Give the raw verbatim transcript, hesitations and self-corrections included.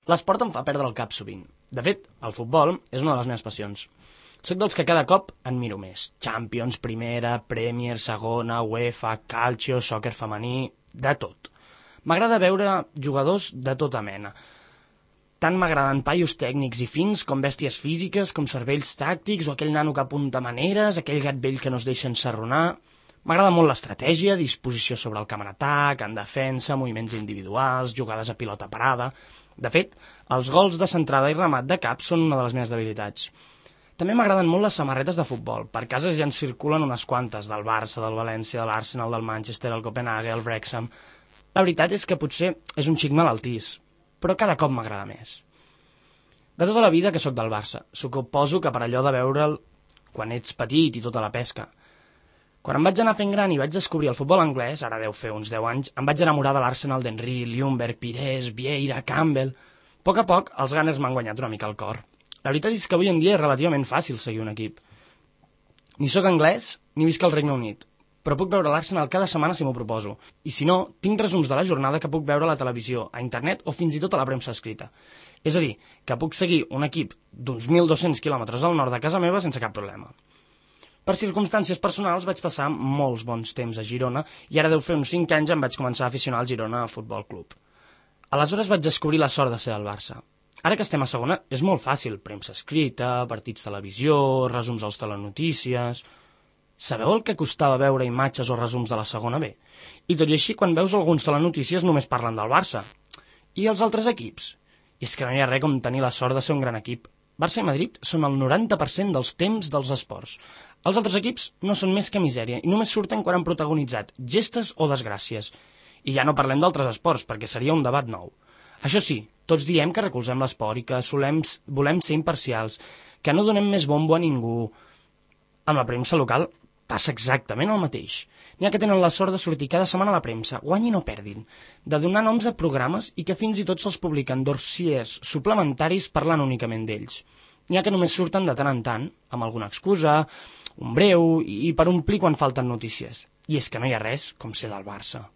L'esport em fa perdre el cap sovint. De fet, el futbol és una de les meves passions. Soc dels que cada cop en miro més. Champions, Primera, Premier, Segona, UEFA, Calcio, sòquer femení, de tot. M'agrada veure jugadors de tota mena. Tant m'agraden paios tècnics i fins com bèsties físiques, com cervells tàctics o aquell nano que apunta maneres, aquell gat vell que no es deixa ensarronar. M'agrada molt l'estratègia, disposició sobre el camp en atac, en defensa, moviments individuals, jugades a pilota parada. De fet, els gols de centrada i remat de cap són una de les meves debilitats. També m'agraden molt les samarretes de futbol. Per casa ja en circulen unes quantes, del Barça, del València, de l'Arsenal, del Manchester, el Copenhague, el Wrexham. La veritat és que potser és un xic malaltís, però cada cop m'agrada més. De tota la vida que sóc del Barça, suposo que per allò de veure'l quan ets petit i tota la pesca. Quan em vaig anar fent gran i vaig descobrir el futbol anglès, ara deu fer uns deu anys, em vaig enamorar de l'Arsenal d'Henry, Ljungberg, Pires, Vieira, Campbell. A poc a poc, els Gunners m'han guanyat una mica el cor. La veritat és que avui en dia és relativament fàcil seguir un equip. Ni sóc anglès, ni visc al Regne Unit, però puc veure l'Arsenal cada setmana si m'ho proposo. I si no, tinc resums de la jornada que puc veure a la televisió, a internet o fins i tot a la premsa escrita. És a dir, que puc seguir un equip d'uns mil dos-cents quilòmetres al nord de casa meva sense cap problema. Per circumstàncies personals vaig passar molts bons temps a Girona i ara deu fer uns cinc anys em vaig començar a aficionar al Girona Futbol Club. Aleshores vaig descobrir la sort de ser del Barça. Ara que estem a segona és molt fàcil, premsa escrita, partits televisió, resums als telenotícies... Sabeu el que costava veure imatges o resums de la segona B? I tot i així, quan veus alguns telenotícies només parlen del Barça. I els altres equips? I és que no hi ha res com tenir la sort de ser un gran equip. Barça i Madrid són el noranta per cent dels temps dels esports. Els altres equips no són més que misèria i només surten quan han protagonitzat gestes o desgràcies. I ja no parlem d'altres esports, perquè seria un debat nou. Això sí, tots diem que recolzem l'esport i que solem, volem ser imparcials, que no donem més bombo a ningú. Amb la premsa local passa exactament el mateix. N'hi ha que tenen la sort de sortir cada setmana a la premsa, guanyin o perdin, de donar noms a programes i que fins i tot se'ls publiquen dossiers suplementaris parlant únicament d'ells. N'hi ha que només surten de tant en tant, amb alguna excusa, un breu i per omplir quan falten notícies. I és que no hi ha res com ser del Barça.